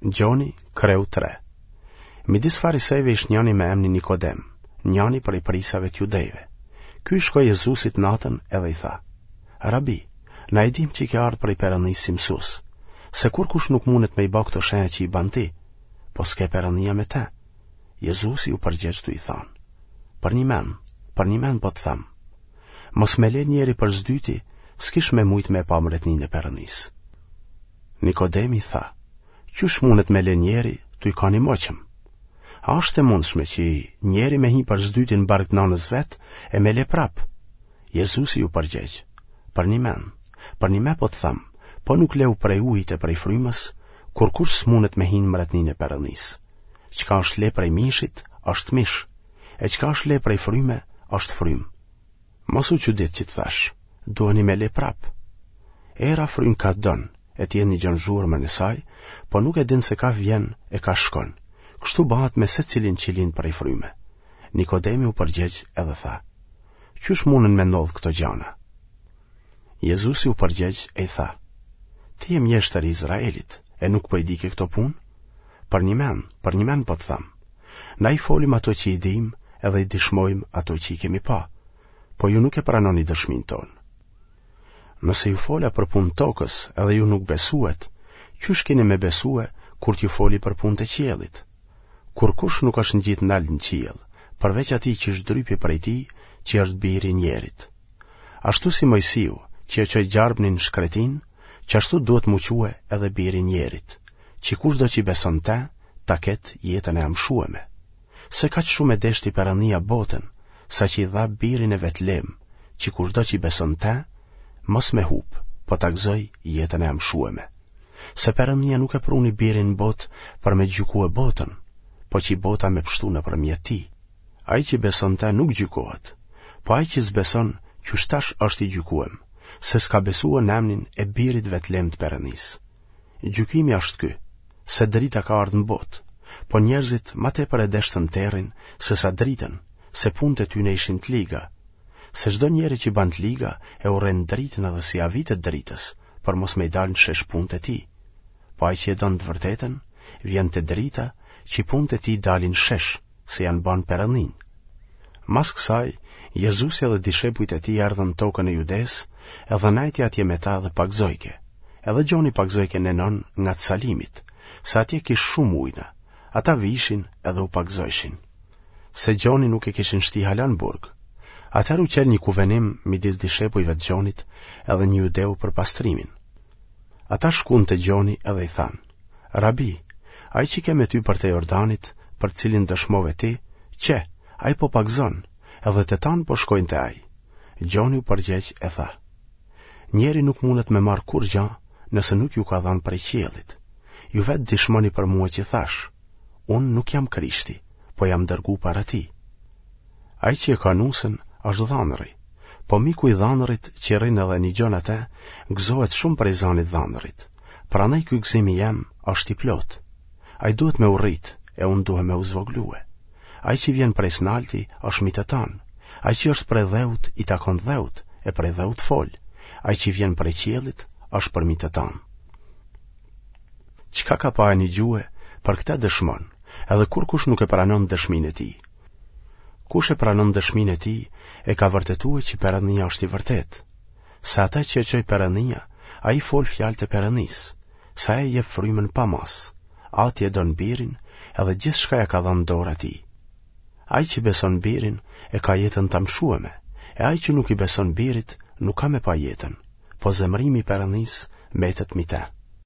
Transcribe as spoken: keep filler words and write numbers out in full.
Gjoni, kreu tre. Midis farisejve ish njani me emnin Nikodem, njani prej prijsave të judejve. Ky i shkoi Jezusit natën edhe i tha: Rabi, na e dimë që ke ardhë prej Perëndisë si mësues, se kurkush nuk mundet me i ba këto shenja që i ban ti, po s'ke Perëndia me te. Jezusi u përgjegj tu i thanë: Përnjëmend, përnjëmend po të them, mos me le njeri për s'dyti, s'kish me mujtë me pa mbretninë e Perëndisë. Nikodemi tha: Qysh mundet me le njeri tu i kanë i moqëm? A është e mundshme që njeri me hi për s'dyti në bark të nanës vet e me le prap? Jezusi ju përgjegj: Përnjëmend, përnjëmend po të them, po nuk leu prej ujit e prej frymës, kurkush s'mundet me hi në mbretninë e Perëndisë. Çka është le prej mishit, është mish, e çka është le prej fryme, është frymë. Mos u çudit që të thash, duheni me le prap. Era fryn ka don, e ti e nigjon zhurmën e saj, po nuk e din se ka vjen e ka shkon. Kështu bëhet me secilin që lind prej fryme. Nikodemi u përgjegj edhe tha: Qysh mundën me ndodh këto gjana? Jezusi u përgjegj e i tha: Ti je mjeshtër i Izraelit, e nuk po i dike këto punë? Përnjëmend, përnjëmend po të them. Na i folim ato që i dimë edhe i dëshmojmë ato që i kemi pa, po ju nuk e pranoni dëshminë tonë. Nëse ju fola për punë tokës edhe ju nuk besuet, qysh keni me besue kur t'ju foli për punë të qiellit? Kurkush nuk është ngjit nalt në qiell, përveç atij që zhdrypi prej tij, që është biri i njerit. Ashtu si Mojsiu, që e çoi gjarpnin në shkretinë, qashtu duhet m'u çue edhe biri i njerit, që kushdo që i beson te, ta ketë jetën e amshueme. Se kaq shumë e deshti Perëndia botën, sa që i dha birin e vetlem, që kushdo që i beson te, mos me hup, po ta gëzoj jetën e amshueme. Se Perëndia nuk e pruni birin në botë për me gjykue botën, po që bota me pështu nëpërmjet tij. Ai që beson te nuk gjykohet, po ai që s'beson, qysh tash është i gjykuem, se s'ka besue në emnin e birit vetlem të Perëndisë. Gjykimi është ky, se drita ka ardhë në botë, po njerëzit ma tepër e deshtën terrin se sa dritën, se punët e tyne ishin të liga. Se çdo njeri që ban të liga e urren dritën edhe s'i avitet dritës, për mos me i dalë në shesh punët e tij. Po ai që e don të vërtetën, vjen te drita, që punët e tij dalin në shesh, se janë banë Perëndinë. Mas kësaj, Jezusi edhe dishepujt e tij erdhën në tokën e Judesë, edhe nejti atje me ta dhe pagëzojke. Edhe Gjoni pagëzojke në Enon nga të Salimit, se atje kish shumë ujna. Ata vishin edhe u pagëzojshin. Se Gjoni nuk e kishin shti hala në burg. Atëherë u qel një kuvenim midis dishepujve të Gjonit edhe një judeu për pastrimin. Ata shkuan te Gjoni edhe i thanë: Rabi, ai që ke me ty përtej Jordanit, për cilin dëshmove ti, qe, ai po pagëzon, edhe të tanë po shkojnë te ai. Gjoni u përgjegj e tha: Njeri nuk mundet me marrë kurrgjë nëse nuk ju ka dhënë prej qiellit. Ju vetë dëshmoni për mua që thash: Unë nuk jam Krishti, po jam dërgu para tij. Ai që e ka nusën është dhanëri, po miku i dhanërit që rrin edhe nigjon atë, gëzohet shumë prej zanit dhanërit. Prandaj ky gëzim i jem është i plotë. Ai duhet me u rrit, e unë duhet me u zvoglue. Ai që vjen prej s'nalti është mi të tanë. Ai që është prej dheut i takon dheut, e prej dheut fol. Ai që vjen prej qiellit është përmi të tanë. Çka ka pa e nigjue, për këtë dëshmon, edhe kurkush nuk e pranon dëshminë e tij. Kush e pranon dëshminë e tij, e ka vërtetue që Perëndia është i vërtetë. Se ata që e çoi Perëndia, ai fol fjalët e Perëndisë, se ai jep frymën pa masë. Ati e don birin, edhe gjithçka ja ka dhënë dorë atij. Ai që beson birin, e ka jetën të amshueme, e ai që nuk i beson birit, nuk ka me pa jetën, po zemrimi i Perëndisë mbetet mbi te.